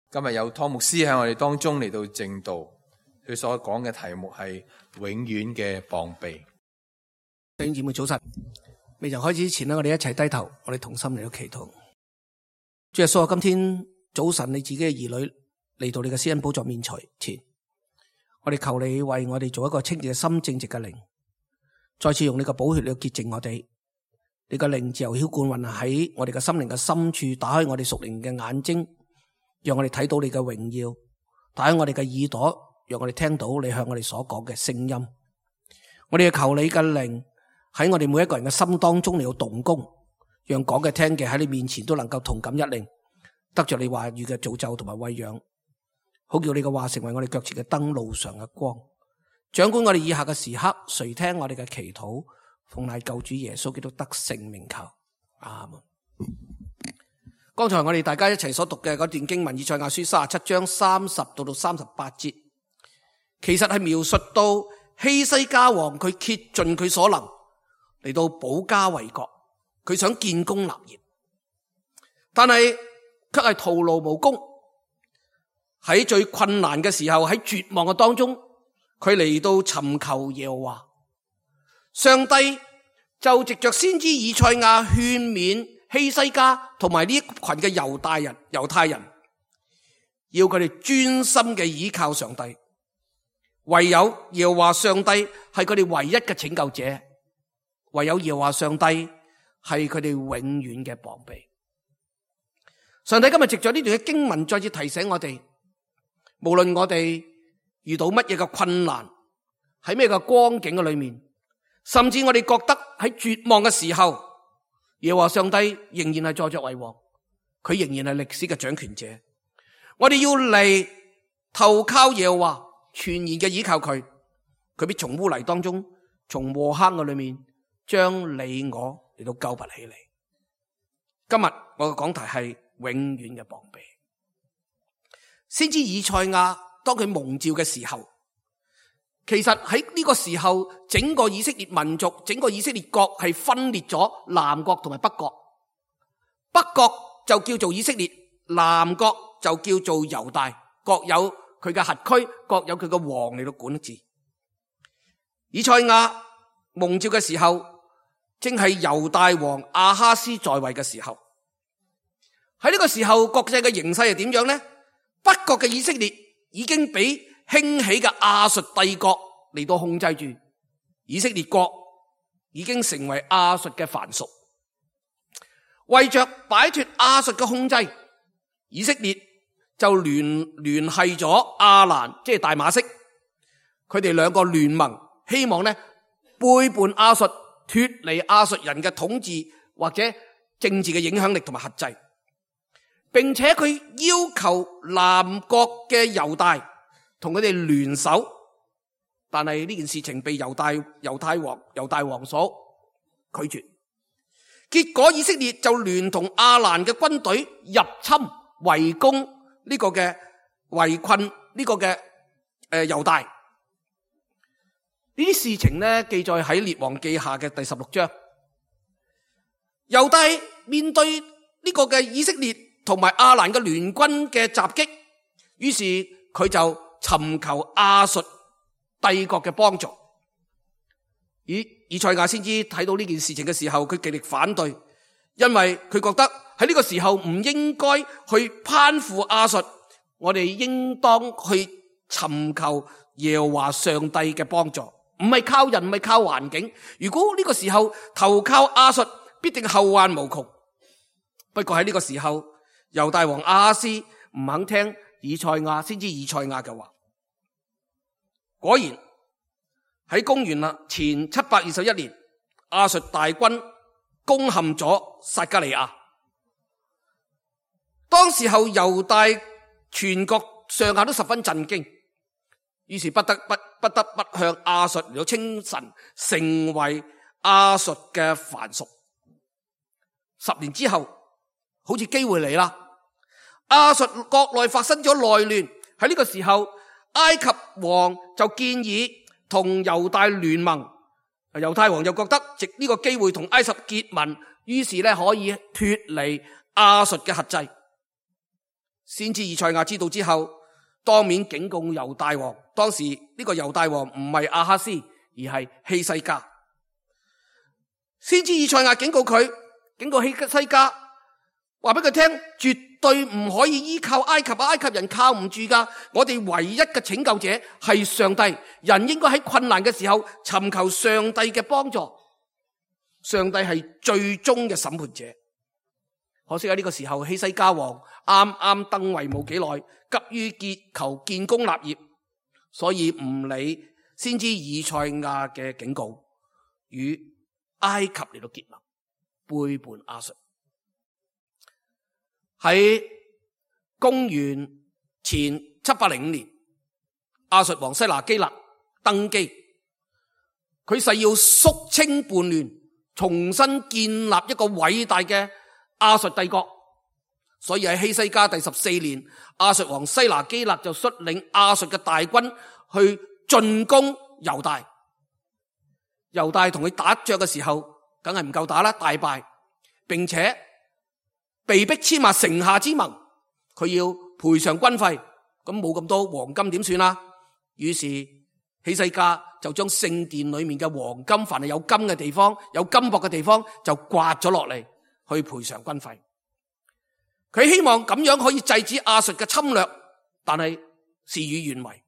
今日有湯牧師喺我哋當中嚟到證道，佢所講嘅題目係永遠嘅膀臂。弟兄姊妹早晨，未曾開始之前我哋一齊低頭，我哋同心嚟到祈禱。主耶穌啊，今天早晨你自己嘅兒女嚟到你嘅施恩寶座面前，我哋求你為我哋做一個清潔嘅心、正直嘅靈，再次用你嘅寶血嚟潔淨我哋。你嘅靈自由澆灌運喺我哋嘅心靈嘅深處，打開我哋屬靈嘅眼睛，讓我哋睇到你嘅榮耀；打開我哋嘅耳朵，讓我哋聽到你向我哋所講嘅聲音。我哋求你嘅靈喺我哋每一個人嘅心當中嚟到動工，讓講嘅聽嘅喺你面前都能夠同感一靈，得着你話語嘅造就同埋餵養，好叫你嘅話成為我哋腳前嘅燈，路上嘅光。掌管我哋以下嘅時刻，垂聽我哋嘅祈禱，奉賴救主耶穌基督得勝名求，阿門。剛才我哋大家一齊所讀嘅嗰段經文，以賽亞書37章30到38節，其實係描述到希西家王佢竭盡佢所能嚟到保家衛國，佢想建功立業，但係卻係徒勞無功。喺最困難嘅時候，喺絕望嘅當中，佢嚟到尋求耶和華。上帝就藉着先知以賽亞勸勉希西家同埋呢一群嘅猶太人，要佢哋專心嘅倚靠上帝，唯有耶和華上帝係佢哋唯一嘅拯救者，唯有耶和華上帝係佢哋永遠嘅膀臂。上帝今日藉着呢段嘅經文再次提醒我哋，無論我哋遇到乜嘢嘅困難，喺咩嘅光景嘅裏面，甚至我哋覺得喺絕望嘅時候，耶和華上帝仍然係坐著為王，佢仍然係歷史嘅掌權者。我哋要嚟投靠耶和華，全然嘅倚靠佢，佢必從污泥當中，從禍坑嘅裏面，將你我嚟到救拔起嚟。今日我嘅講題係永遠嘅膀臂。先知以賽亞當佢蒙召嘅時候，其實喺呢個時候，整個以色列民族，整個以色列國係分裂咗南國同埋北國。北國就叫做以色列，南國就叫做猶大，各有佢嘅轄區，各有佢嘅王嚟到管治。以賽亞蒙召嘅時候，正係猶大王亞哈斯在位嘅時候。喺呢個時候，國際嘅形勢係點樣呢？北國嘅以色列已經俾興起嘅亞述帝國嚟到控制住，以色列國已經成為亞述嘅藩屬。為着擺脫亞述嘅控制，以色列就聯繫咗亞蘭，即係大馬色，佢哋兩個聯盟，希望呢背叛亞述，脫離亞述人嘅統治或者政治嘅影響力同埋轄制，並且佢要求南國嘅猶大同佢哋聯手，但係呢件事情被猶大王所拒絕。結果以色列就聯同亞蘭嘅軍隊入侵圍攻呢個嘅圍困呢個嘅猶大。呢啲事情呢記載喺列王記下嘅第16章。猶大面對呢個嘅以色列同埋亞蘭嘅聯軍嘅襲擊，於是佢就尋求亞述帝國嘅幫助。以賽亞先知睇到呢件事情嘅時候，佢極力反對，因為佢覺得喺呢個時候唔應該去攀附亞述，我哋應當去尋求耶和華上帝嘅幫助，唔係靠人，唔係靠環境。如果呢個時候投靠亞述，必定後患無窮。不過喺呢個時候，猶大王亞哈斯唔肯聽先知以賽亞嘅話。果然喺公元前721年，亞述大軍攻陷咗撒迦利亞。當時候猶大全國上下都十分震驚，於是不得不向亞述嚟到稱臣，成為亞述嘅藩屬。10年之後，好似機會嚟啦，亞述國內發生咗內亂。喺呢個時候，埃及王就建議同猶大聯盟，猶太王就覺得藉呢個機會同埃及結盟，於是可以脫離亞述嘅轄制。先知以賽亞知道之後，當面警告猶大王。當時呢個猶大王唔係亞哈斯，而係希西家。先知以賽亞警告佢，警告希西家，話俾佢聽，絕對唔可以依靠埃及，埃及人靠唔住噶。我哋唯一嘅拯救者係上帝，人應該喺困難嘅時候尋求上帝嘅幫助。上帝係最終嘅審判者。可惜喺呢個時候，希西家王啱啱登位冇幾耐，急於求建功立業，所以唔理先知以賽亞嘅警告，與埃及嚟到結盟，背叛亞述。喺公元前705年，亞述王西拿基立登基，佢誓要肅清叛亂，重新建立一個偉大嘅亞述帝國。所以喺希西家第14年，亞述王西拿基立就率領亞述嘅大軍去進攻猶大。猶大同佢打仗嘅時候，梗係唔夠打啦，大敗，並且被迫簽下城下之盟，佢要賠償軍費，咁冇咁多黃金點算啊？於是希西家就將聖殿裏面嘅黃金，凡係有金嘅地方，有金箔嘅地方，就刮咗落嚟去賠償軍費。佢希望咁樣可以制止亞述嘅侵略，但係事與願違。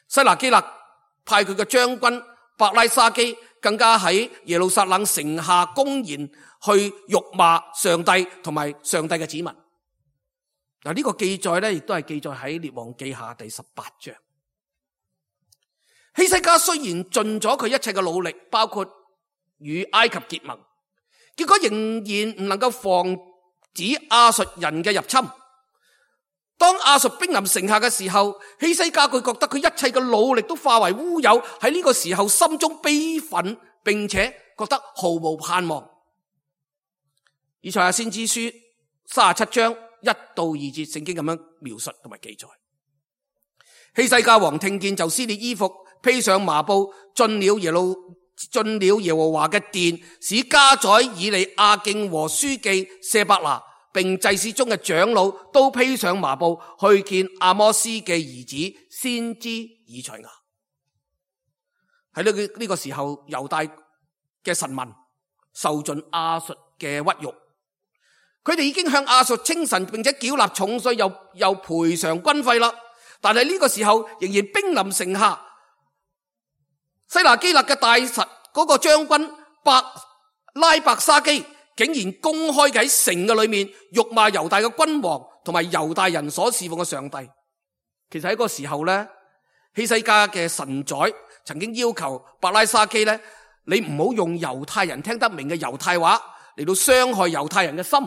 西拿基立派佢嘅將軍伯拉沙基，更加喺耶路撒冷城下公然去辱罵上帝同埋上帝嘅子民。嗱，呢個記載咧，亦都係記載喺列王記下第18章。希西家雖然盡咗佢一切嘅努力，包括與埃及結盟，結果仍然唔能夠防止亞述人嘅入侵。當亞述兵臨城下嘅時候，希西家佢覺得佢一切嘅努力都化為烏有，喺呢個時候心中悲憤，並且覺得毫無盼望。以賽亞先知書37章1到2節聖經咁樣描述同埋記載。希西家王聽見，就撕裂衣服，披上麻布，進了耶和華嘅殿，使家宰以利亞敬和書記舍伯那並祭司中嘅長老都披上麻布去見阿摩斯嘅兒子先知以賽亞。喺呢個時候，猶大嘅臣民受盡亞述嘅屈辱，佢哋已經向亞述稱臣，並且繳納重稅，又賠償軍費啦。但係呢個時候仍然兵臨城下，西拿基立嘅大臣嗰個將軍拉伯沙基竟然公開喺城嘅裏面辱罵猶大嘅君王同埋猶大人所侍奉嘅上帝。其實喺嗰個時候咧，希西家嘅臣宰曾經要求伯拉沙基咧，你唔好用猶太人聽得明嘅猶太話嚟到傷害猶太人嘅心。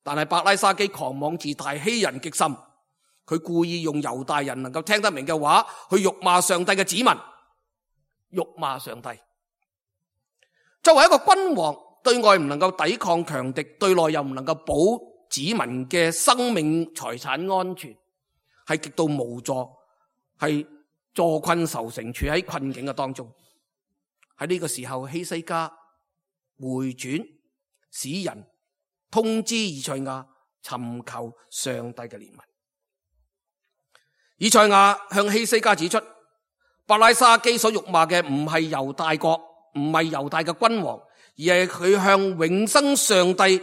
但係伯拉沙基狂妄自大，欺人極甚，佢故意用猶大人能夠聽得明嘅話去辱罵上帝嘅子民，辱罵上帝。作為一個君王，對外唔能夠抵抗強敵，對內又唔能夠保子民嘅生命財產安全，係極度無助，係坐困愁城，處喺困境嘅當中。喺呢個時候，希西家回轉，使人通知以賽亞尋求上帝嘅憐憫。以賽亞向希西家指出，伯拉沙基所辱罵嘅唔係猶大國，唔係猶大嘅君王，而係佢向永生上帝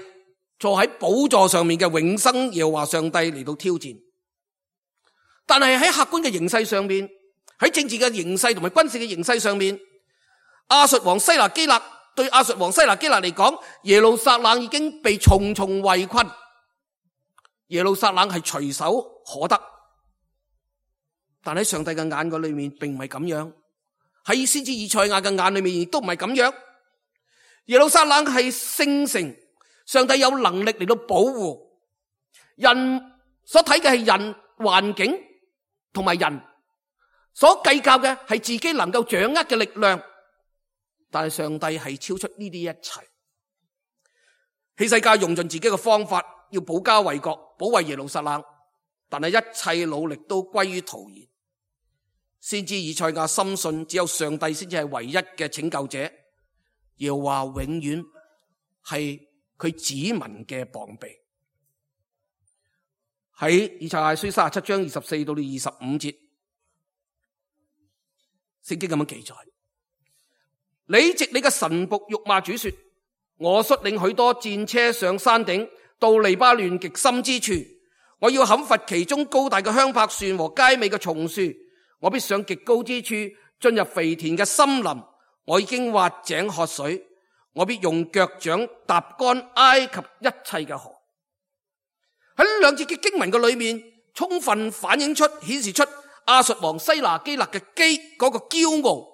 坐喺寶座上面嘅永生耶和華上帝嚟到挑戰。但係喺客觀嘅形勢上面，喺政治嘅形勢同埋軍事嘅形勢上面，亞述王西拿基立對亞述王西拿基立嚟講，耶路撒冷已經被重重圍困，耶路撒冷係隨手可得。但喺上帝嘅眼嗰裏面並唔係咁樣，喺先知以賽亞嘅眼裏面亦都唔係咁樣。耶路撒冷係聖城，上帝有能力嚟到保護。人所睇嘅係人環境同埋人所計較嘅係自己能夠掌握嘅力量，但係上帝係超出呢啲一切。希西家用盡自己嘅方法要保家衛國，保衛耶路撒冷，但係一切努力都歸於徒然。先知以賽亞深信只有上帝先至係唯一嘅拯救者，耶和華永遠係佢子民嘅膀臂。喺以賽亞書37章24到25節，聖經咁樣記載：你藉你嘅臣僕辱罵主說，我率領許多戰車上山頂，到黎巴嫩極深之處，我要砍伐其中高大嘅香柏樹和佳美嘅松樹，我必上極高之處，進入肥田嘅森林。我已經挖井喝水，我必用腳掌踏乾埃及一切嘅河。喺呢兩節嘅經文嘅裏面，充分反映出、顯示出亞述王西拿基立嘅嗰個驕傲。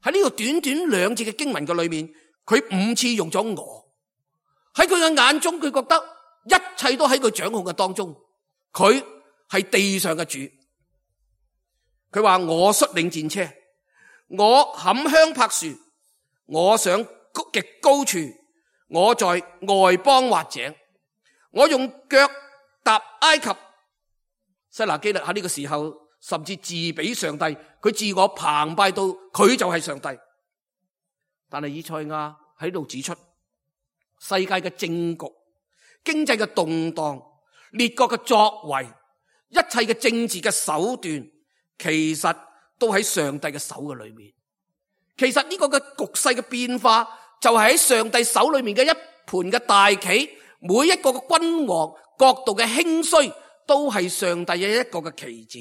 喺呢個短短兩節嘅經文嘅裏面，佢5次用咗我。喺佢嘅眼中，佢覺得一切都喺佢掌控嘅當中，佢係地上嘅主。佢話我率領戰車，我砍香柏樹，我上極高處，我在外邦挖井，我用腳踏埃及。西拿基立喺呢個時候甚至自比上帝，佢自我澎湃到佢就係上帝。但係以賽亞喺度指出，世界嘅政局、經濟嘅動盪、列國嘅作為、一切嘅政治嘅手段，其實都喺上帝嘅手嘅裏面。其實呢個嘅局勢嘅變化，就係喺上帝手裏面嘅一盤嘅大棋，每一個嘅君王國度嘅興衰，都係上帝嘅一個嘅棋子。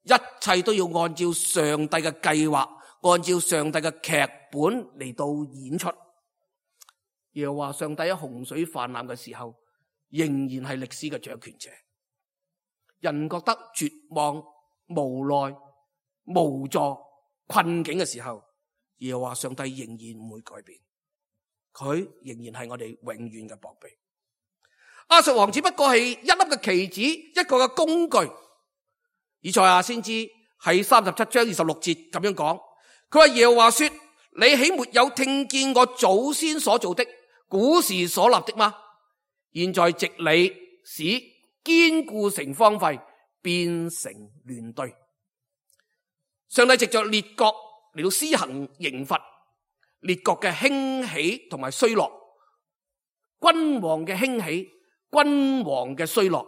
一切都要按照上帝嘅計劃，按照上帝嘅劇本嚟到演出。又話上帝喺洪水泛濫嘅時候，仍然係歷史嘅掌權者。人覺得絕望、無奈、無助、困境嘅時候，又話上帝仍然唔會改變，佢仍然係我哋永遠嘅膀臂。亞述王只不過係一粒嘅棋子，一個嘅工具。以賽亞先知喺37章26節咁樣講，佢話耶和華說：你豈沒有聽見我祖先所做的，古時所立的嗎？現在藉你使堅固城荒廢，變成亂堆。上帝藉着列國嚟到施行刑罰，列國嘅興起同埋衰落，君王嘅興起、君王嘅衰落，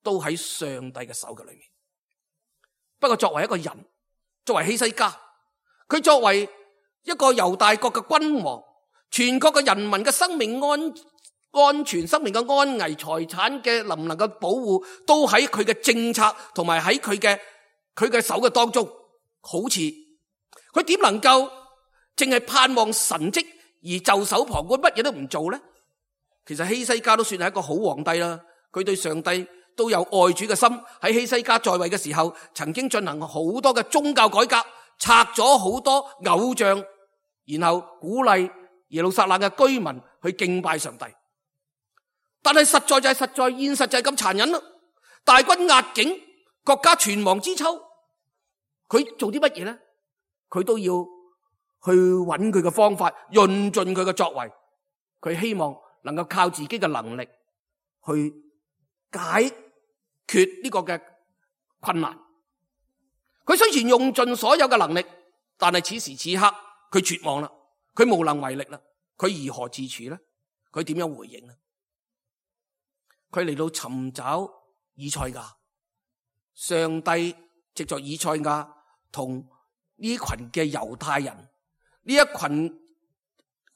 都喺上帝嘅手嘅裏面。不過作為一個人，作為希西家，佢作為一個猶大國嘅君王，全國嘅人民嘅生命安全、生命嘅安危、財產嘅能唔能夠保護，都喺佢嘅政策同埋喺佢嘅手嘅當中。好似佢點能夠淨係盼望神蹟而袖手旁觀，乜嘢都唔做呢？其實希西家都算係一個好皇帝啦，佢對上帝都有愛主嘅心。喺希西家在位嘅時候，曾經進行好多嘅宗教改革，拆咗好多偶像，然後鼓勵耶路撒冷嘅居民去敬拜上帝。但係現實就係咁殘忍啦！大軍壓境，國家存亡之秋，佢做啲乜嘢呢？佢都要去揾佢嘅方法，用盡佢嘅作為。佢希望能夠靠自己嘅能力去解決呢個嘅困難。佢雖然用盡所有嘅能力，但係此時此刻佢絕望啦，佢無能為力啦，佢如何自處呢？佢點樣回應呢？佢嚟到尋找以賽亞，上帝藉着以賽亞同呢群嘅猶太人，呢一群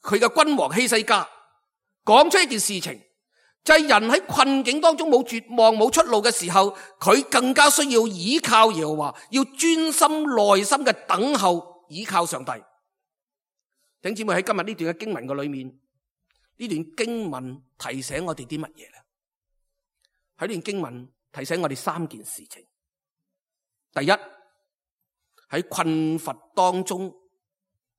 佢嘅君王希西家講出一件事情，就係人喺困境當中冇絕望冇出路嘅時候，佢更加需要倚靠耶和華，要專心內心嘅等候，倚靠上帝。弟兄姊妹，喺今日呢段嘅經文嘅裏面，呢段經文提醒我哋啲乜嘢咧？喺呢段經文提醒我哋3件事情。第一，喺困乏當中，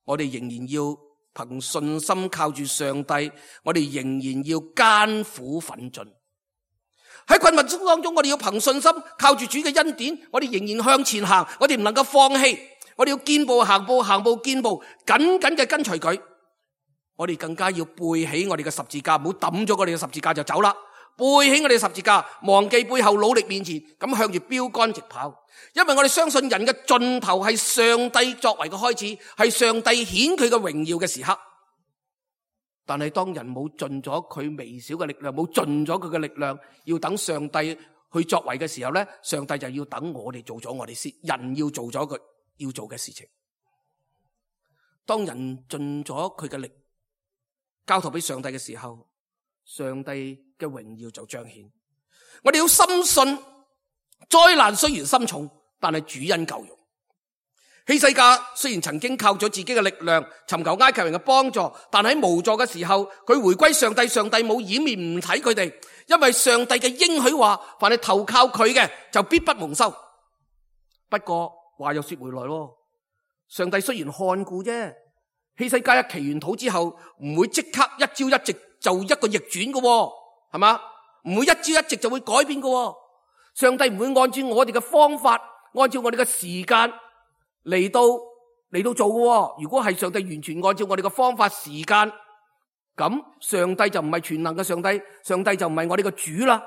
我哋仍然要憑信心靠住上帝，我哋仍然要艱苦奮進。喺困乏當中，我哋要憑信心靠住主嘅恩典，我哋仍然向前行，我哋唔能夠放棄，我哋要見步行步，行步見步，緊緊嘅跟隨佢。我哋更加要背起我哋嘅十字架，唔好抌咗我哋嘅十字架就走啦。背起我哋嘅十字架，忘記背後，努力面前，咁向住標杆直跑。因為我哋相信人嘅盡頭係上帝作為嘅開始，係上帝顯佢嘅榮耀嘅時刻。但係當人冇盡咗佢微小嘅力量，冇盡咗佢嘅力量，要等上帝去作為嘅時候咧，上帝就要等我哋做咗我哋先，人要做咗佢要做嘅事情。當人盡咗佢嘅力，交託俾上帝嘅時候，上帝嘅榮耀就彰顯。我哋要深信，災難雖然深重，但係主恩夠用。希西家雖然曾經靠咗自己嘅力量尋求埃及人嘅幫助，但喺無助嘅時候，佢回歸上帝，上帝冇掩面唔睇佢哋，因為上帝嘅應許話，凡係投靠佢嘅就必不蒙羞。不過話又說回來咯，上帝雖然看顧啫，希西家一祈完禱之後，唔會即刻一朝一夕就一個逆轉嘅，係嘛？唔會一朝一夕就會改變嘅。上帝唔會按照我哋嘅方法，按照我哋嘅時間嚟到做嘅。如果係上帝完全按照我哋嘅方法時間，咁上帝就唔係全能嘅上帝，上帝就唔係我哋嘅主啦。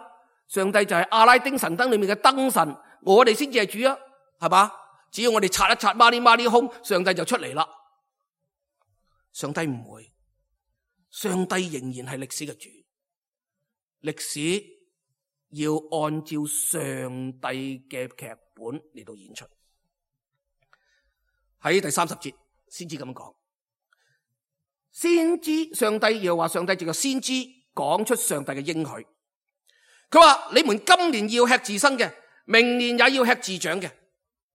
上帝就係阿拉丁神燈裏面嘅燈神，我哋先至係主啊，係嘛？只要我哋擦一擦孖呢空，上帝就出嚟啦。上帝唔會，上帝仍然係歷史嘅主，歷史要按照上帝嘅劇本嚟到演出。喺第30節先知咁講，先知上帝又話，上帝藉着先知講出上帝嘅應許。佢話你們今年要吃自生嘅，明年也要吃自長嘅。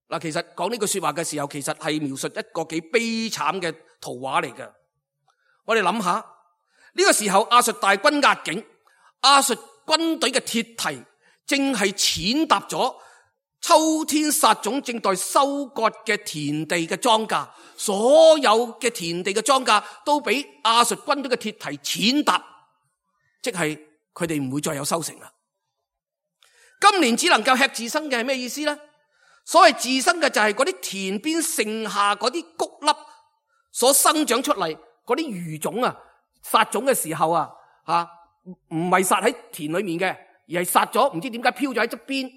嗱，其實講呢句說話嘅時候，其實係描述一個幾悲慘嘅圖畫嚟嘅。我哋諗下，呢個時候亞述大軍壓境，亞述軍隊嘅鐵蹄正係踐踏咗秋天撒種正待收割嘅田地嘅莊稼，所有嘅田地嘅莊稼都俾亞述軍隊嘅鐵蹄踐踏，即係佢哋唔會再有收成啦。今年只能夠吃自生嘅係咩意思呢？所謂自生嘅就係嗰啲田邊剩下嗰啲穀粒所生長出嚟嗰啲餘種啊，撒種嘅時候啊，唔係撒喺田裏面嘅，而係撒咗唔知點解飄咗喺側邊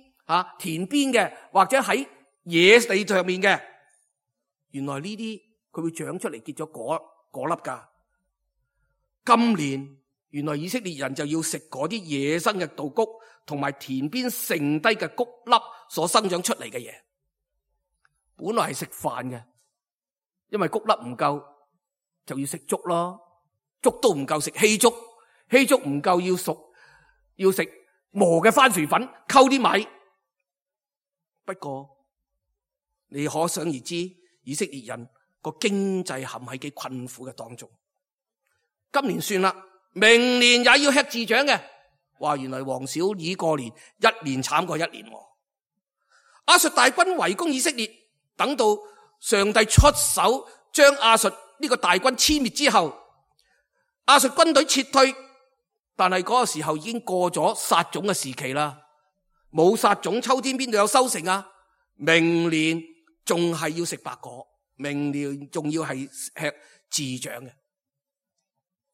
田邊嘅，或者喺野地上面嘅。原來呢啲佢會長出嚟結咗果粒噶。今年原來以色列人就要食嗰啲野生嘅稻穀同埋田邊剩低嘅穀粒所生長出嚟嘅嘢。本來係食飯嘅，因為穀粒唔夠就要食粥咯，粥都唔夠食稀粥，稀粥唔夠要熟，要食磨嘅番薯粉溝啲米。不過你可想而知，以色列人個經濟陷喺幾困苦嘅當中。今年算啦，明年也要吃自長嘅。話原來黃小兒過年一年慘過一年。亞述大軍圍攻以色列，等到上帝出手將亞述呢個大軍殲滅之後，亞述軍隊撤退，但係嗰個時候已經過咗撒種嘅時期啦。冇撒種，秋天邊度有收成啊？明年仲係要食白果，明年仲要係吃自長嘅，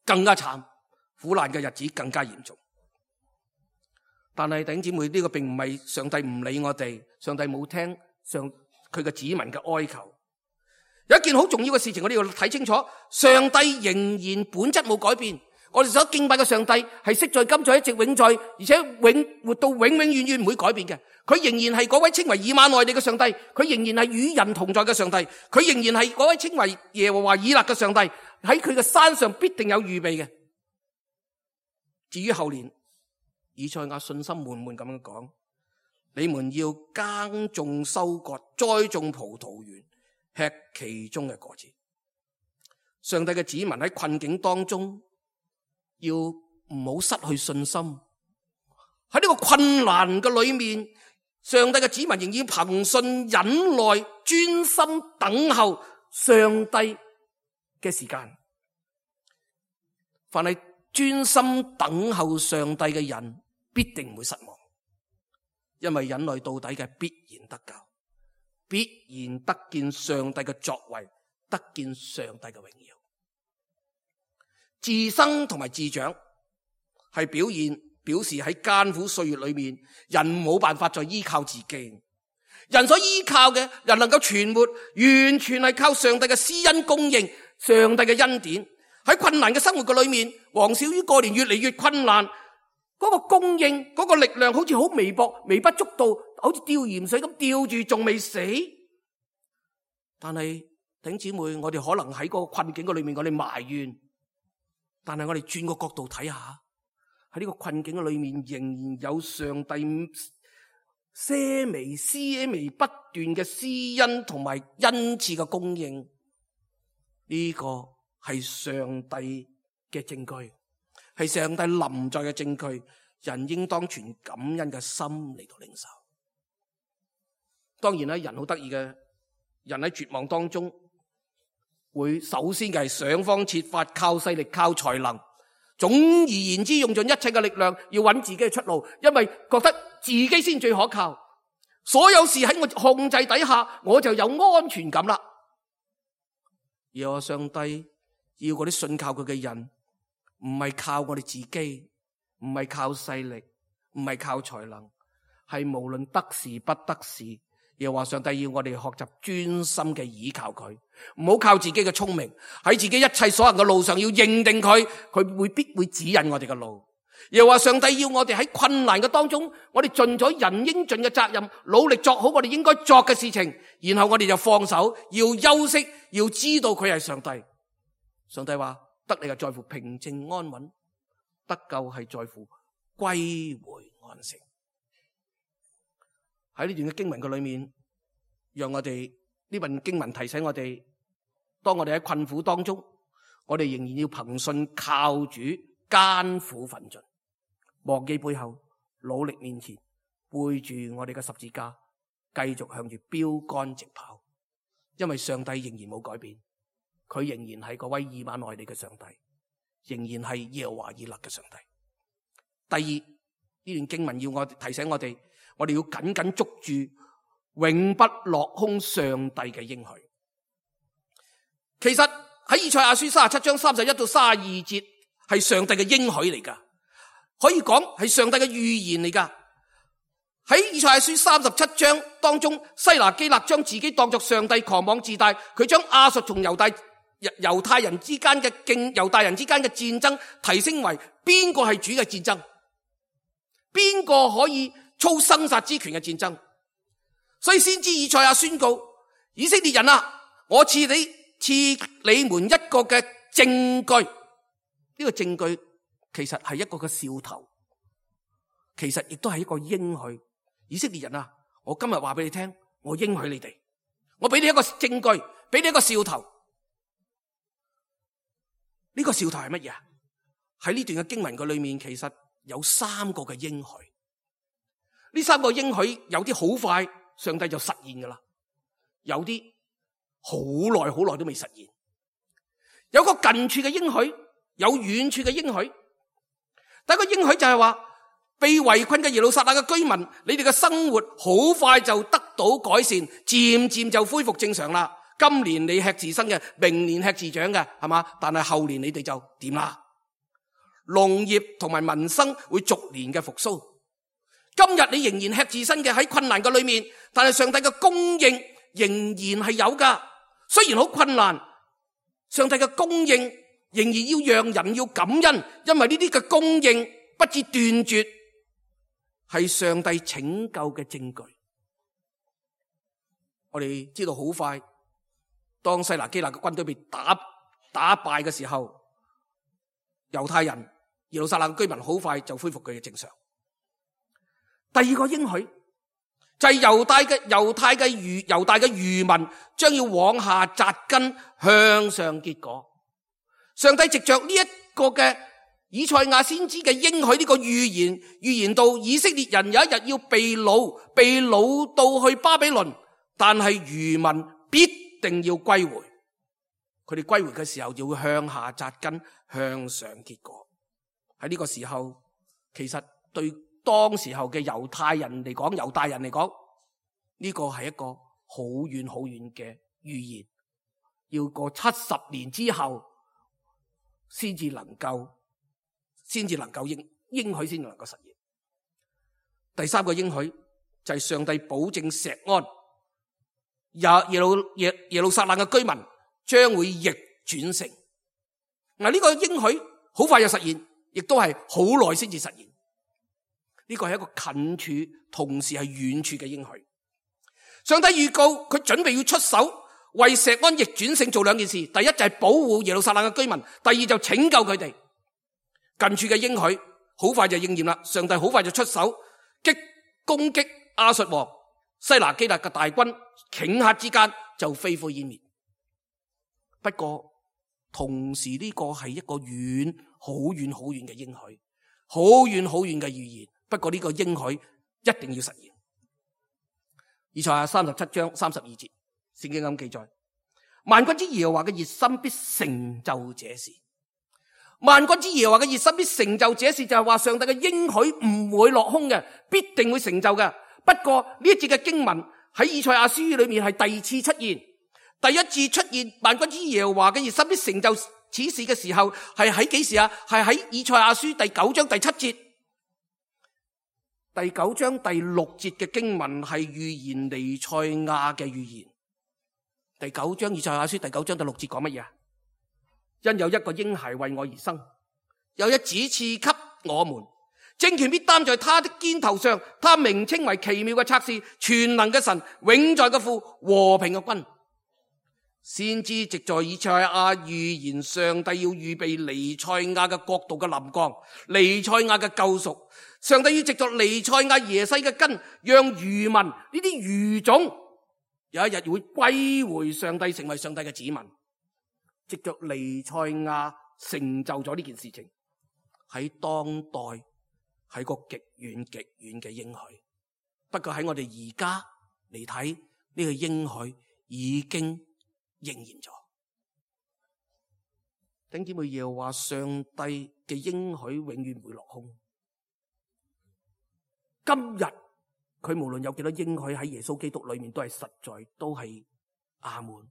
更加慘，苦難嘅日子更加嚴重。但係弟兄姊妹，呢個並唔係上帝唔理我哋，上帝冇聽佢嘅子民嘅哀求。有一件好重要嘅事情，我哋要睇清楚，上帝仍然本質冇改變。我哋所敬拜嘅上帝係昔在今在一直永在，而且活到永永遠遠唔會改變嘅。佢仍然係嗰位稱為以馬內利嘅上帝，佢仍然係與人同在嘅上帝，佢仍然係嗰位稱為耶和華以勒嘅上帝，喺佢嘅山上必定有預備嘅。至於後年，以賽亞信心滿滿咁樣講，你們要耕種收割，栽種葡萄園，吃其中嘅果子。上帝嘅子民喺困境當中，要唔好失去信心。喺呢個困難嘅裏面，上帝嘅子民仍然憑信忍耐，專心等候上帝嘅時間。凡係專心等候上帝嘅人，必定唔會失望，因為忍耐到底嘅必然得救，必然得見上帝嘅作為，得見上帝嘅榮耀。自生同埋自長係表示喺艱苦歲月裏面，人冇辦法再依靠自己，人所依靠嘅，人能夠存活，完全係靠上帝嘅施恩供應，上帝嘅恩典。喺困難嘅生活嘅裏面，黃小魚過年越嚟越困難，嗰個供應，嗰個力量好似好微薄、微不足道，好似吊鹽水咁吊住，仲未死。但係弟兄姊妹，我哋可能喺個困境嘅裏面，我哋埋怨，但係我哋轉個角度睇下，喺呢個困境嘅裏面，仍然有上帝些微不斷嘅施恩同埋恩賜嘅供應。呢個係上帝嘅證據，係上帝臨在嘅證據。人應當存感恩嘅心嚟到領受。當然啦，人好得意嘅，人喺絕望當中會首先嘅係想方設法，靠勢力、靠才能，總而言之用盡一切嘅力量要揾自己嘅出路，因為覺得自己先最可靠，所有事喺我控制底下，我就有安全感啦。而我上帝要嗰啲信靠佢嘅人，唔係靠我哋自己，唔係靠勢力，唔係靠才能，係無論得時不得時，又話上帝要我哋學習專心嘅倚靠佢，唔好靠自己嘅聰明，喺自己一切所行嘅路上要認定佢，佢必會指引我哋嘅路。又話上帝要我哋喺困難嘅當中，我哋盡咗人應盡嘅責任，努力做好我哋應該作嘅事情，然後我哋就放手，要休息，要知道佢係上帝。上帝話得你係在乎平靜安穩，得救係在乎歸回安息。喺呢段嘅經文嘅裏面，讓我哋呢份經文提醒我哋，當我哋喺困苦當中，我哋仍然要憑信靠主，艱苦奮進，忘記背後，努力面前，背住我哋嘅十字架，繼續向住標杆直跑。因為上帝仍然冇改變，佢仍然係嗰位以馬內利嘅上帝，仍然係耶和華以勒嘅上帝。第二，呢段經文要我提醒我哋要緊緊捉住永不落空上帝嘅應許。其實喺以賽亞書37章31到32節係上帝嘅應許嚟噶，可以講係上帝嘅預言嚟噶。喺以賽亞書37章當中，西拿基立將自己當作上帝，狂妄自大，佢將亞述同猶太人之間嘅戰爭提升為邊個係主嘅戰爭，邊個可以操生殺之權嘅戰爭。所以先知以賽亞宣告，以色列人啊，我賜你們一個嘅證據。呢個證據其實係一個嘅兆頭，其實亦都係一個應許。以色列人啊，我今日話俾你聽，我應許你哋，我俾你一個證據，俾你一個兆頭。呢個兆頭係乜嘢啊？喺呢段嘅經文嘅裏面，其實有3個嘅應許。呢3個應許有啲好快上帝就實現噶啦，有啲好耐都未實現。有個近處嘅應許，有遠處嘅應許。第一個應許就係話，被圍困嘅耶路撒冷嘅居民，你哋嘅生活好快就得到改善，漸漸就恢復正常啦。今年你吃自生嘅，明年吃自長嘅，係嘛？但係後年你哋就掂啦。農業同埋民生會逐年嘅復甦。今日你仍然吃自生嘅，喺困難嘅裏面，但係上帝嘅供應仍然係有噶。雖然好困難，上帝嘅供應仍然要讓人要感恩，因為呢啲嘅供應不致斷絕，係上帝拯救嘅證據。我哋知道好快，當西拿基立嘅軍隊被打敗嘅時候，猶太人、耶路撒冷居民好快就恢復佢嘅正常。第二個應許就係猶大嘅餘民將要往下扎根，向上結果。上帝藉着呢一個嘅以賽亞先知嘅應許，呢個預言到以色列人有一日要被擄到去巴比倫，但係餘民必定要歸回。佢哋歸回嘅時候就會向下扎根，向上結果。喺呢個時候，其實對當時候嘅猶大人嚟講，呢個係一個好遠嘅預言，要過70年之後先至能夠應許先能夠實現。第3個應許就係上帝保證錫安，耶路撒冷嘅居民將會逆轉成，嗱，呢個應許好快就實現，亦都係好耐先至實現。呢個係一個近處同時係遠處嘅應許。上帝預告佢準備要出手為錫安逆轉勝做兩件事，第一就係保護耶路撒冷嘅居民，第二就拯救佢哋。近處嘅應許好快就應驗啦，上帝好快就出手攻擊亞述王西拿基立嘅大軍，頃刻之間就飛灰煙滅。不過同時呢個係一個好遠嘅應許，好遠嘅預言。不過呢個應許一定要實現。以賽亞37章32節，聖經咁記載：萬軍之耶和華嘅熱心必成就這事。萬軍之耶和華嘅熱心必成就這事，就係話上帝嘅應許唔會落空嘅，必定會成就嘅。不過呢一節嘅經文喺以賽亞書裏面係第二次出現，第一次出現萬軍之耶和華嘅熱心必成就此事嘅時候係喺幾時啊？係喺以賽亞書第9章第7節。第9章第6節嘅經文係預言彌賽亞嘅預言。第9章以賽亞書第9章第6節講乜嘢啊？因有一個嬰孩為我而生，有一子賜給我們，政權必擔在他的肩頭上，他名稱為奇妙嘅策士，全能嘅神，永在嘅父，和平嘅君。先知藉在以賽亞預言上帝要預備彌賽亞嘅國度嘅臨降，彌賽亞嘅救贖。上帝要藉着彌賽亞耶西嘅根，讓餘民呢啲餘種有一日會歸回上帝，成為上帝嘅子民。藉着彌賽亞成就咗呢件事情，喺當代係個極遠嘅應許。不過喺我哋而家嚟睇，呢個應許已經應驗咗。弟兄姊妹，耶和華上帝嘅應許永遠唔會落空。今日佢無論有幾多應許喺耶穌基督裏面，都係實在，都係阿門。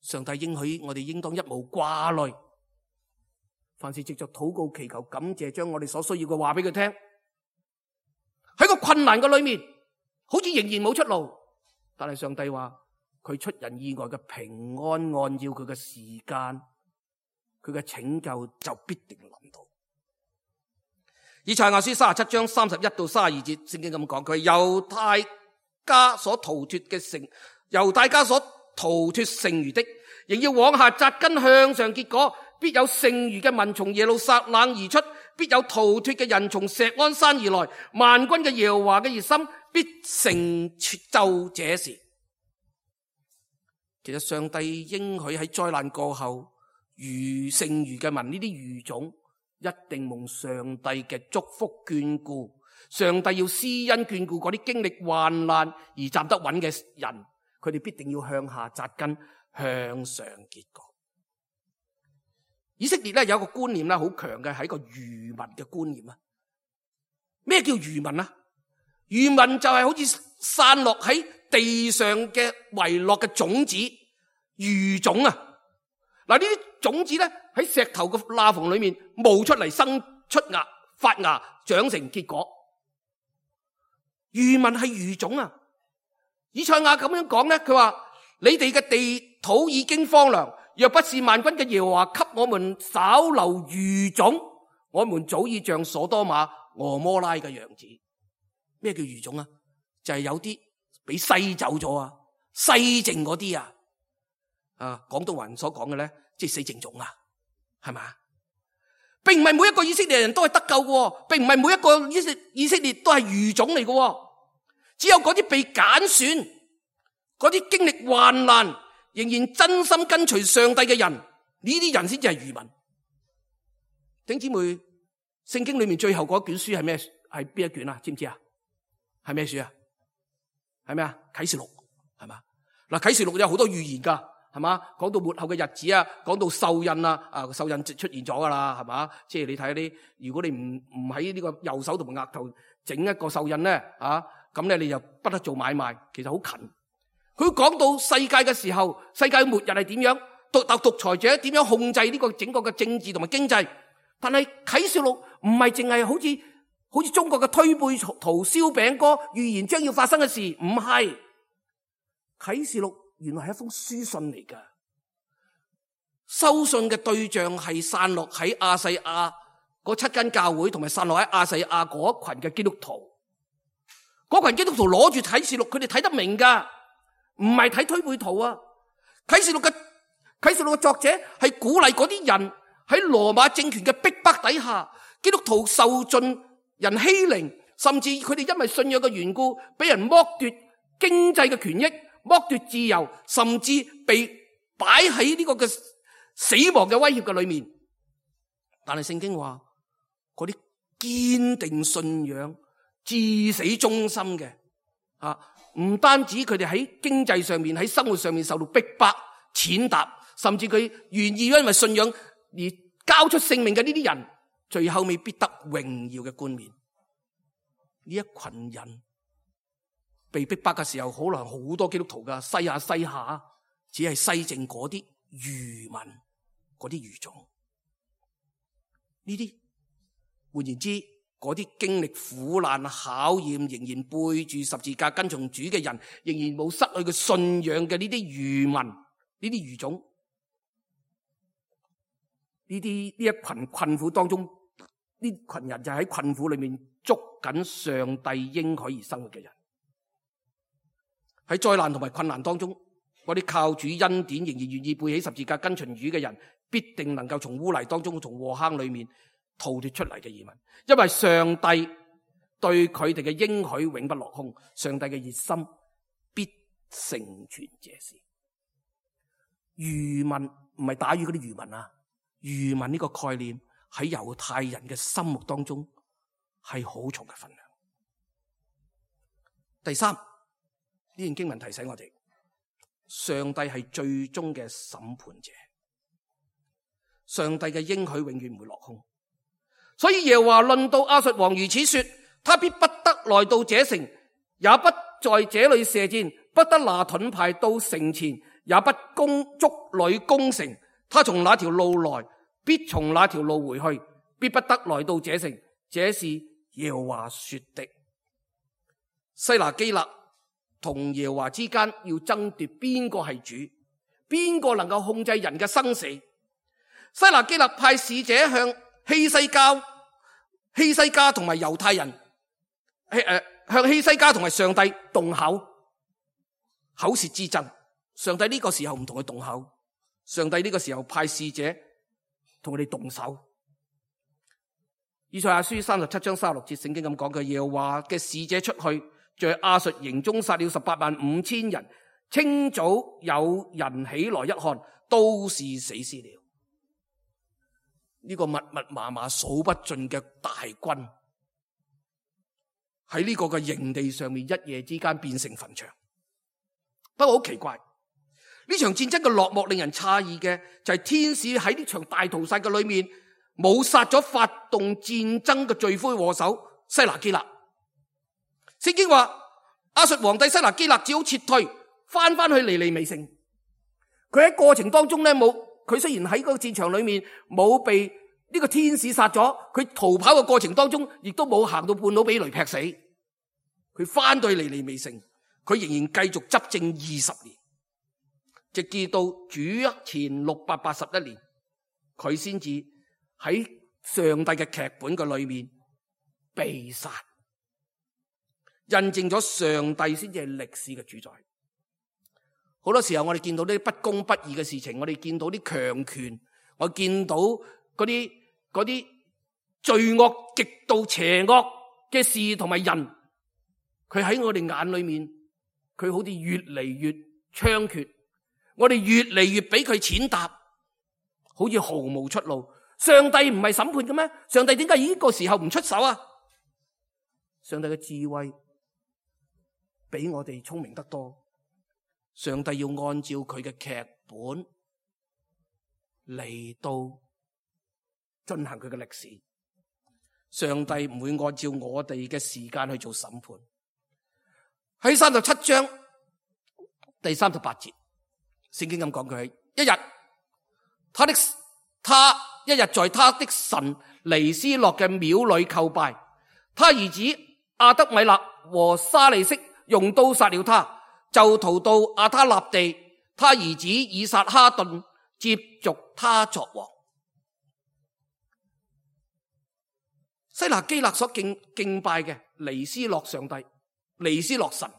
上帝應許我哋應當一無掛慮，凡事藉着禱告祈求感謝，將我哋所需要嘅話俾佢聽。喺個困難嘅裏面，好似仍然冇出路，但係上帝話佢出人意外嘅平安，按照佢嘅時間，佢嘅拯救就必定臨到。以賽亞書37章31到32節，聖經咁講，佢猶大家所逃脫嘅城，猶大家所逃脫剩餘的，仍要往下扎根向上結果，必有剩餘嘅民從耶路撒冷而出，必有逃脫嘅人從錫安山而來，萬軍嘅耶和華嘅熱心必成就這事。其實上帝應許喺災難過後，剩餘嘅民呢啲餘種一定蒙上帝嘅祝福眷顧，上帝要施恩眷顧嗰啲經歷患難而站得穩嘅人，佢哋必定要向下扎根，向上結果。以色列咧有一個觀念咧好強嘅，係一個餘民嘅觀念啊。咩叫餘民啊？餘民就係好似散落喺地上嘅遺落嘅種子，餘種啊。嗱，呢啲種子咧喺石頭嘅罅縫裏面冒出嚟，生出芽、發芽、長成結果。餘民係餘種啊。以賽亞咁樣講咧，佢話你哋嘅地土已經荒涼，若不是萬軍嘅耶和華給我們稍留餘種，我們早已像所多瑪、蛾摩拉嘅樣子。咩叫餘種啊？就係有啲俾篩走咗啊，篩剩嗰啲啊。廣東話所講嘅咧，即係死剩種啊，係嘛？並唔係每一個以色列人都係得救嘅，並唔係每一個以色列都係餘種嚟嘅，只有嗰啲被揀選、嗰啲經歷患難、仍然真心跟隨上帝嘅人，呢啲人先至係餘民。弟兄姊妹，聖經裏面最後嗰卷書係咩？係邊一卷啊？知唔知啊？係咩書啊？係咩啊？啟示錄係嘛？嗱，啟示錄有好多預言噶。係嘛？講到末後嘅日子啊，講到獸印啊，獸印出現咗噶啦，係嘛？即係你睇啲，如果你唔喺呢個右手同埋額頭整一個獸印咧，咁咧你就不得做買賣。其實好近。佢講到世界嘅時候，世界末日係點樣？獨裁者點樣控制呢個整個嘅政治同埋經濟？但係啟示錄唔係淨係好似中國嘅推背圖、燒餅歌預言將要發生嘅事，唔係啟示錄。原來係一封書信嚟噶，收信嘅對象係散落喺亞細亞嗰7間教會，同埋散落喺亞細亞嗰一群嘅基督徒。嗰群基督徒攞住啟示錄，佢哋睇得明噶，唔係睇推背圖啊。啟示錄嘅作者係鼓勵嗰啲人喺羅馬政權嘅逼迫底下，基督徒受盡人欺凌，甚至佢哋因為信仰嘅緣故，俾人剝奪經濟嘅權益，剝奪自由，甚至被擺喺呢個嘅死亡嘅威脅嘅裏面。但係聖經話，嗰啲堅定信仰、至死忠心嘅唔單止佢哋喺經濟上面、喺生活上面受到逼迫、踐踏，甚至佢願意因為信仰而交出性命嘅呢啲人，最後未必得榮耀嘅冠冕。呢一群人被逼迫嘅時候，可能好多基督徒噶西下，只係西正嗰啲愚民、嗰啲愚種。呢啲換言之，嗰啲經歷苦難考驗，仍然背住十字架跟從主嘅人，仍然冇失去嘅信仰嘅呢啲愚民、呢啲愚種，呢一群困苦當中，呢群人就喺困苦裏面捉緊上帝應許而生活嘅人。喺災難同埋困難當中，嗰啲靠主恩典仍然願意背起十字架跟隨主嘅人，必定能夠從污泥當中、從禍坑裏面逃脫出嚟嘅移民。因為上帝對佢哋嘅應許永不落空，上帝嘅熱心必成全這事。餘民唔係打魚嗰啲漁民啊，餘民呢個概念喺猶太人嘅心目當中係好重嘅分量。第三，呢段經文提醒我哋，上帝係最終嘅審判者，上帝嘅應許永遠唔會落空。所以耶和華論到亞述王如此說，他必不得來到這城，也不在這裏射箭，不得拿盾牌到城前，也不築壘攻城。他從那條路來，必從那條路回去，必不得來到這城。這是耶和華說的。西拿基立同耶和華之間要爭奪邊個係主，邊個能夠控制人嘅生死。西拿基立派使者向希西家同埋猶太人，向希西家同埋上帝動口舌之爭。上帝呢個時候唔同佢動口，上帝呢個時候派使者同佢哋動手。以賽亞書37章36節聖經咁講嘅，耶和華嘅使者出去，在亞述營中殺了185000人。清早有人起來一看，都是死屍了。呢個密密麻麻數不盡嘅大軍喺呢個嘅營地上面，一夜之間變成墳場。不過好奇怪，呢場戰爭嘅落幕令人詫異嘅就係天使喺呢場大屠殺嘅裏面冇殺咗發動戰爭嘅罪魁禍首西拿基立。聖經話亞述皇帝西拿基立只好撤退翻去尼尼微城。佢喺過程當中咧佢雖然喺個戰場裏面冇被呢個天使殺咗，佢逃跑嘅過程當中亦都冇行到半路俾雷劈死。佢翻到尼尼微城，佢仍然繼續執政20年，直至到主前681年，佢先至喺上帝嘅劇本嘅裏面被殺，印證咗上帝先至係歷史嘅主宰。好多時候我哋見到啲不公不義嘅事情，我哋見到啲強權，我見到嗰啲罪惡極度邪惡嘅事同埋人，佢喺我哋眼裏面，佢好似越嚟越猖獗，我哋越嚟越俾佢踐踏，好似毫無出路。上帝唔係審判嘅咩？上帝點解呢個時候唔出手啊？上帝嘅智慧比我哋聰明得多。上帝要按照佢嘅劇本嚟到進行佢嘅歷史。上帝唔會按照我哋嘅時間去做審判。喺37章第38節，聖經咁講，佢一日在他的神尼斯洛嘅廟裏叩拜，他兒子亞德米勒和沙利色用刀殺了他，就逃到亞他納地。他兒子以撒哈頓接續他作王。西拿基勒所敬拜嘅尼斯洛上帝、尼斯洛神，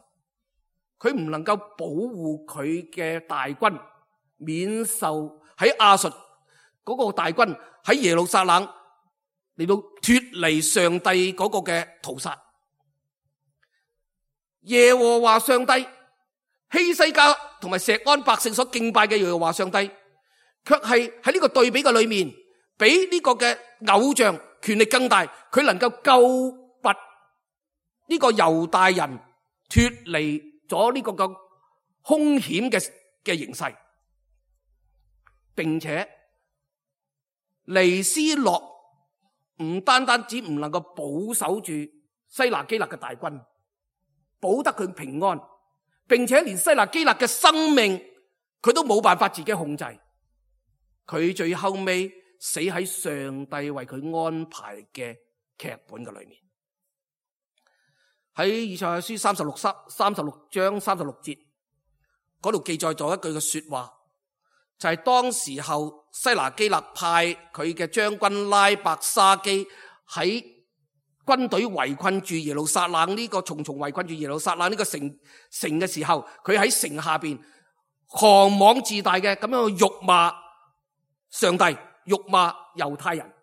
佢唔能夠保護佢嘅大軍免受喺亞述嗰個大軍喺耶路撒冷嚟到脫離上帝嗰個嘅屠殺。耶和華上帝，希西家同埋錫安百姓所敬拜嘅耶和華上帝，卻係喺呢個對比嘅裏面，比呢個嘅偶像權力更大，佢能夠救拔呢個猶大人脫離咗呢個嘅兇險嘅形勢，並且尼斯洛唔單單只唔能夠保守住西拿基勒嘅大軍，保得佢平安，並且連西拿基勒嘅生命佢都冇辦法自己控制，佢最後尾死喺上帝為佢安排嘅劇本嘅裏面。喺以賽亞書36章36節嗰度記載咗一句嘅說話，就係當時候西拿基勒派佢嘅將軍拉伯沙基喺軍隊圍困住耶路撒冷呢個重重圍困住耶路撒冷呢個城嘅時候，佢喺城下邊狂妄自大嘅咁樣去辱罵上帝，辱罵猶太人。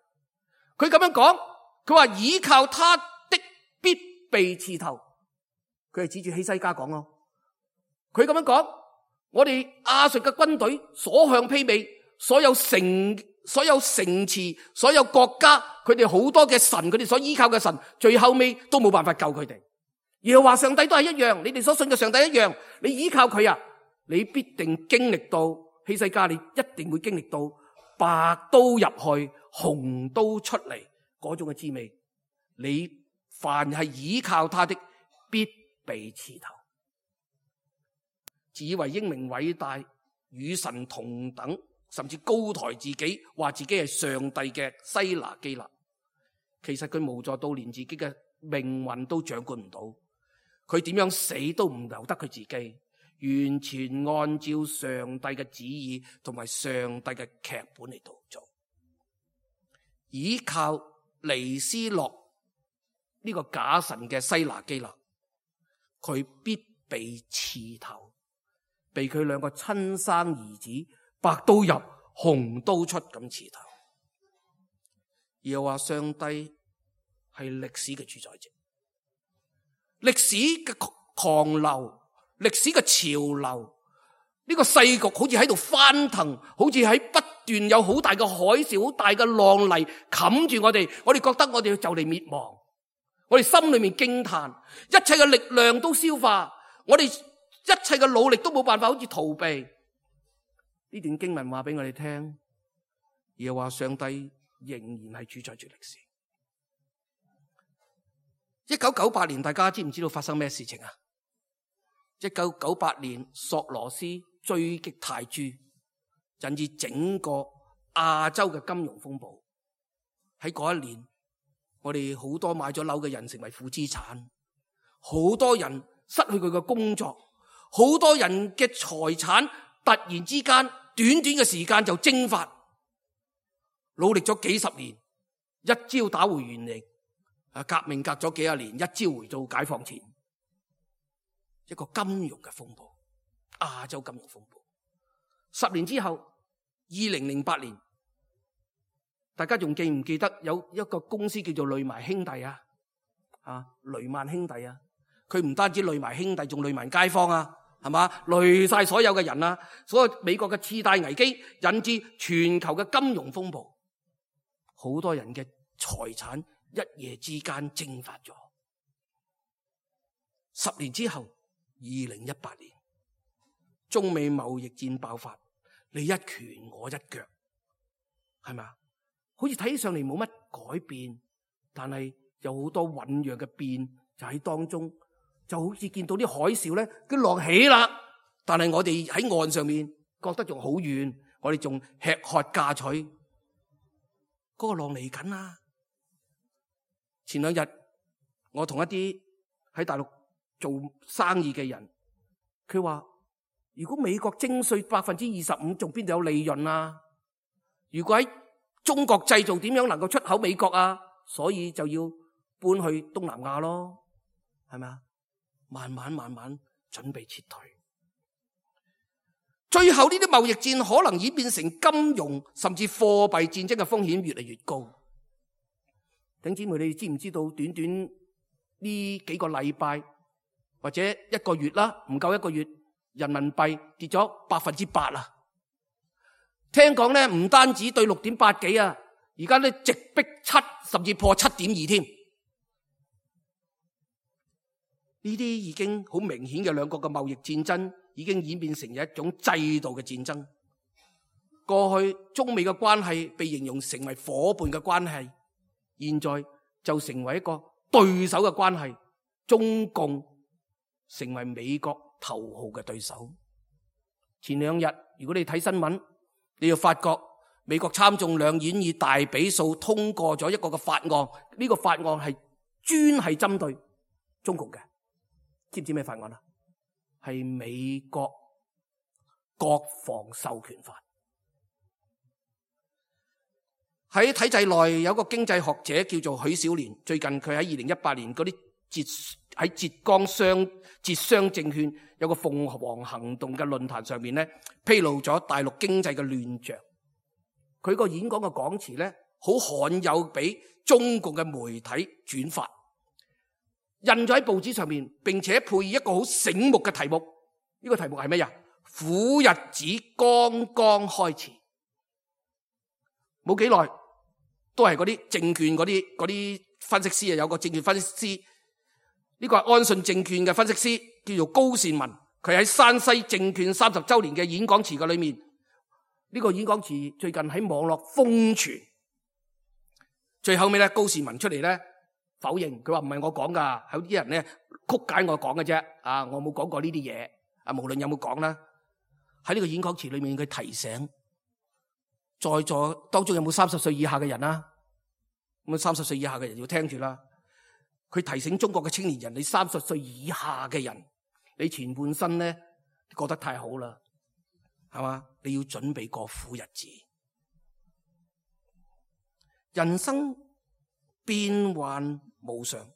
佢咁樣講，佢話倚靠他的必被刺透。佢係指住希西家講咯。佢咁樣講，我哋亞述嘅軍隊所向披靡，所有城池，所有國家，佢哋好多嘅神，佢哋所依靠嘅神，最後尾都冇辦法救佢哋。耶和華上帝都係一樣，你哋所信嘅上帝一樣，你依靠佢啊，你必定經歷到希西家，你一定會經歷到白刀入去，紅刀出嚟嗰種嘅滋味。你凡係倚靠他的，必被刺透。自以為英明偉大，與神同等，甚至高抬自己，話自己係上帝嘅西拿基勒，其實佢無助到連自己嘅命運都掌管唔到，佢點樣死都唔由得佢自己，完全按照上帝嘅旨意同埋上帝嘅劇本嚟到做，依靠尼斯洛呢個假神嘅西拿基勒，佢必被刺透，被佢兩個親生兒子白刀入紅刀出咁刺透。又話上帝係歷史嘅主宰者，歷史嘅狂流，歷史嘅潮流，呢個世局好似喺度翻騰，好似喺不斷有好大嘅海嘯，好大嘅浪嚟冚住我哋，我哋覺得我哋就嚟滅亡，我哋心裏面驚嘆，一切嘅力量都消化，我哋一切嘅努力都冇辦法好似逃避。呢段經文話俾我哋聽，又話上帝仍然係主宰住歷史。1998年大家知唔知道發生咩事情啊？1998年索羅斯追擊泰銖，引致整個亞洲嘅金融風暴。喺嗰一年，我哋好多買咗樓嘅人成為負資產，好多人失去佢嘅工作，好多人嘅財產突然之間短短嘅時間就蒸發，努力咗幾十年，一朝打回原形。革命隔咗幾十年，一朝回到解放前，一個金融嘅風暴，亞洲金融風暴。10年之後，2008年，大家仲記唔記得有一個公司叫做雷曼兄弟啊？雷曼兄弟啊，佢唔單止雷埋兄弟，仲雷埋街坊啊，係嘛？累晒所有嘅人啊！所有美國嘅次貸危機引致全球嘅金融風暴，好多人嘅財產一夜之間蒸發咗。10年之後，2018年，中美貿易戰爆發，你一拳我一腳，係咪啊？好似睇上嚟冇乜改變，但係有好多醞釀嘅變就喺當中，就好似見到啲海嘯咧，佢浪起啦，但係我哋喺岸上面覺得仲好遠，我哋仲吃喝嫁娶，嗰個浪嚟緊啦。前兩日我同一啲喺大陸做生意嘅人，佢話如果美國徵稅25%，仲邊度有利潤啊？如果喺中國製造，點樣能夠出口美國啊？所以就要搬去東南亞咯，係咪啊？慢慢準備撤退，最後呢啲貿易戰可能演變成金融甚至貨幣戰爭嘅風險越嚟越高。弟兄姊妹，你知唔知道短短呢幾個禮拜或者一個月啦，唔夠一個月，人民幣跌咗8%啊！聽講咧，唔單止對6.8幾啊，而家咧直逼7，甚至破7.2添。呢啲已經好明顯嘅兩國嘅貿易戰爭，已經演變成一種制度嘅戰爭。過去中美嘅關係被形容成為夥伴嘅關係，現在就成為一個對手嘅關係。中共成為美國頭號嘅對手。前兩日如果你睇新聞，你要發覺美國參眾兩院以大比數通過咗一個嘅法案，呢個法案係專係針對中國嘅。知唔知咩法案啊？係美國國防授權法。喺體制內有個經濟學者叫做許小年，最近佢喺2018年嗰啲喺浙商證券有個鳳凰行動嘅論壇上面咧，披露咗大陸經濟嘅亂象。佢個演講嘅講詞咧，好罕有俾中共嘅媒體轉發，印咗喺報紙上面，並且配以一個好醒目嘅題目。呢個題目係咩呀？苦日子剛剛開始。冇幾耐，都係嗰啲證券嗰啲分析師啊，有個證券分析師，呢個係安信證券嘅分析師，叫做高善文。佢喺山西證券30週年嘅演講詞嘅裏面，呢個演講詞最近喺網絡瘋傳。最後尾咧，高善文出嚟咧否認，佢話唔係我講噶，有啲人咧曲解我講嘅啫。啊，我冇講過呢啲嘢。啊，無論有冇講啦，喺呢個演講詞裏面，佢提醒在座當中有冇30歲以下嘅人啊？咁30歲以下嘅人要聽住啦。佢提醒中國嘅青年人，你30歲以下嘅人，你前半生咧過得太好啦，係嘛？你要準備過苦日子。人生變幻無常，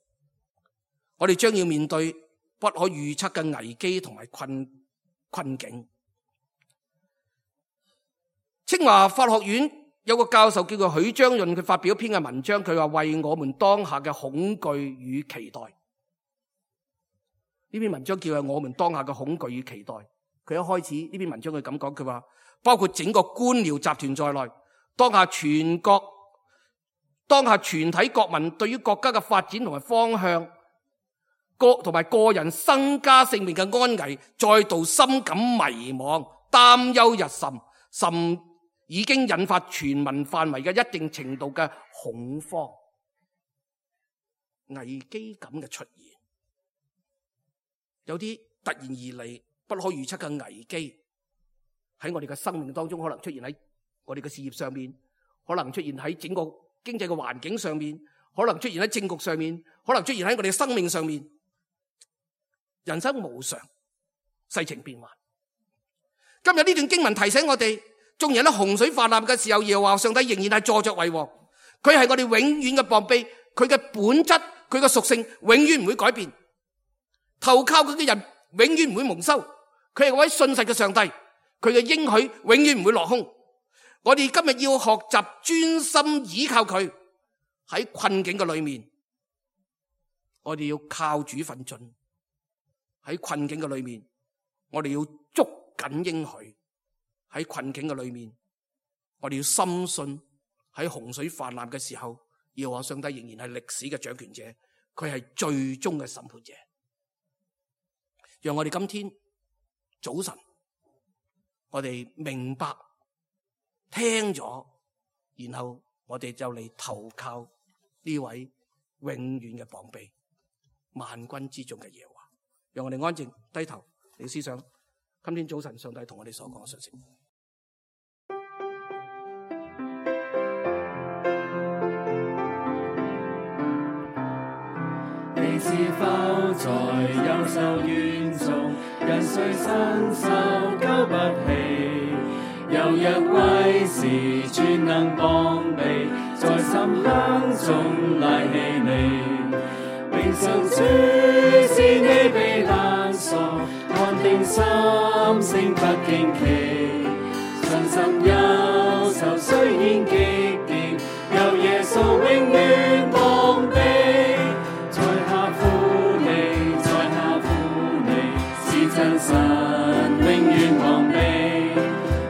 我哋將要面對不可預測嘅危機同埋困境。清華法學院有個教授叫做許章潤，佢發表一篇嘅文章，佢話為我們當下嘅恐懼與期待。呢篇文章叫做我們當下嘅恐懼與期待。佢一開始呢篇文章佢咁講，佢話包括整個官僚集團在內，當下全體國民對於國家嘅發展同埋方向，同埋個人身家性命嘅安危，再度深感迷茫、擔憂日甚已經引發全民範圍嘅一定程度嘅恐慌、危機感嘅出現。有啲突然而嚟不可預測嘅危機喺我哋嘅生命當中，可能出現喺我哋嘅事業上面，可能出現喺整個經濟嘅環境上面，可能出現喺政局上面，可能出現喺我哋嘅生命上面。人生無常，世情變幻。今日呢段經文提醒我哋，眾人喺洪水泛濫嘅時候，耶和華上帝仍然係坐着為王。佢係我哋永遠嘅膀臂，佢嘅本質，佢嘅屬性永遠唔會改變。投靠佢嘅人永遠唔會蒙羞。佢係嗰位信實嘅上帝，佢嘅應許永遠唔會落空。我哋今日要學習專心倚靠佢。喺困境嘅裏面，我哋要靠主奮進。喺困境嘅裏面，我哋要捉緊應許。喺困境嘅裏面，我哋要深信喺洪水泛濫嘅時候，耶和華上帝仍然係歷史嘅掌權者，佢係最終嘅審判者。讓我哋今天早晨，我哋明白聽咗，然後我哋就嚟投靠呢位永遠嘅膀臂，萬軍之中嘅耶和華。讓我哋安靜低頭嚟思想今天早晨上帝同我哋所講嘅信息。你是否在憂愁園中，忍受誰伸手救不起？有一位是全能膀臂，在深坑中拉起你。永生主是你避難所，安定心聲不驚奇。信心憂愁雖然極點，有耶穌永遠膀臂。在下苦你，在下苦你，是真神永遠膀臂，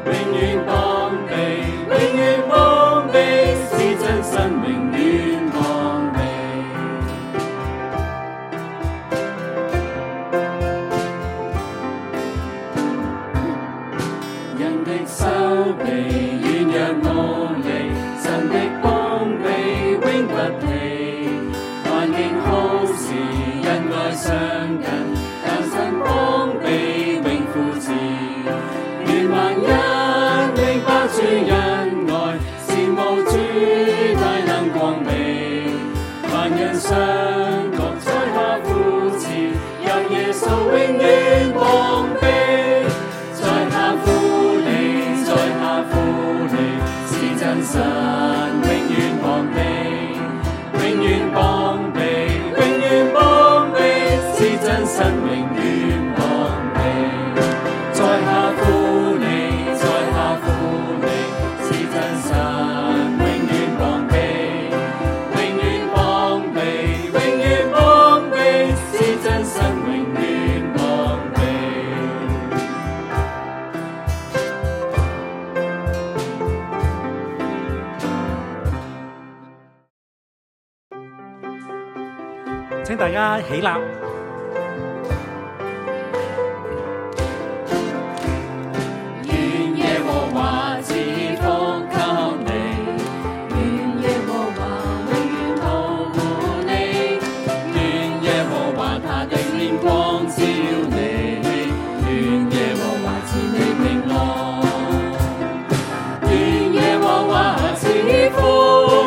永遠膀臂，永遠膀臂，是真神永遠膀臂。人的手臂軟弱無力，神的膀臂永不疲。環境好時恩愛相近，但神膀臂永扶持。願萬人明白主恩愛，羨慕主大能光明。萬人相覺在下扶持，有耶穌永遠膀臂。在下扶你，在下扶你，是真神永遠膀臂，永遠膀臂，永遠膀臂，是真神永遠膀臂。在下扶你，在下扶你，是真神永遠膀臂，永遠膀臂，永遠膀臂，是真神永遠膀臂。請大家起立。願耶和華賜福給你，願耶和華永遠保護你，願耶和華他的臉光照你，願耶和華賜你平安，願耶和華賜福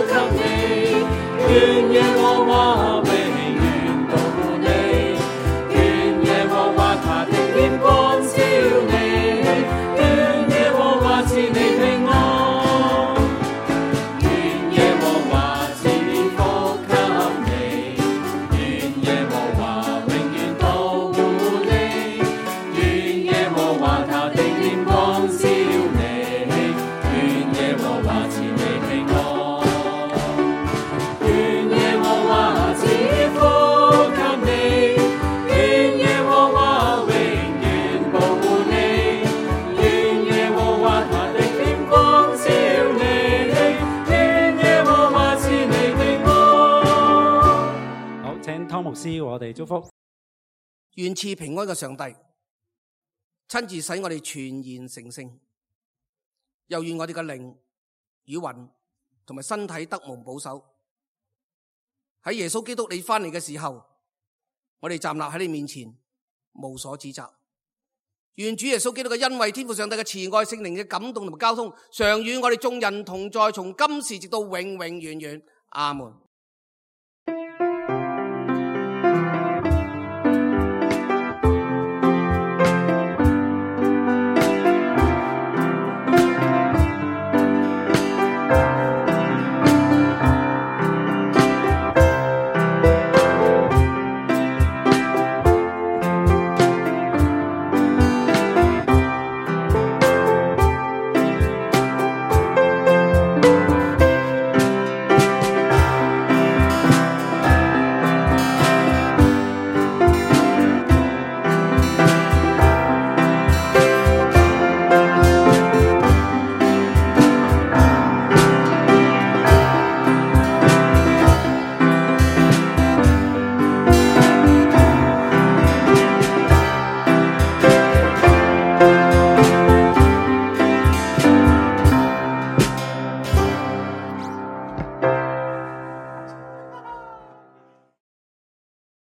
給你，願耶和華永遠保護你，願耶和華他的臉光照你，願耶和華賜你平安，願耶和華賜福給你，願耶和華永遠保護你，願耶和華他的臉光照你，願耶和華賜你平安，願耶和華賜福給你，願耶和華永遠保護你，願耶和華他的臉光照你，願耶和華賜你平安。好，請湯牧師為我哋祝福。願賜平安嘅上帝親自使我哋全然成聖，又願我哋嘅靈與魂同埋身體得蒙保守。喺耶穌基督你翻嚟嘅時候，我哋站立喺你面前，無所指責。願主耶穌基督嘅恩惠、天父上帝嘅慈愛、聖靈嘅感動同埋交通，常與我哋眾人同在，從今時直到永永遠遠。阿門。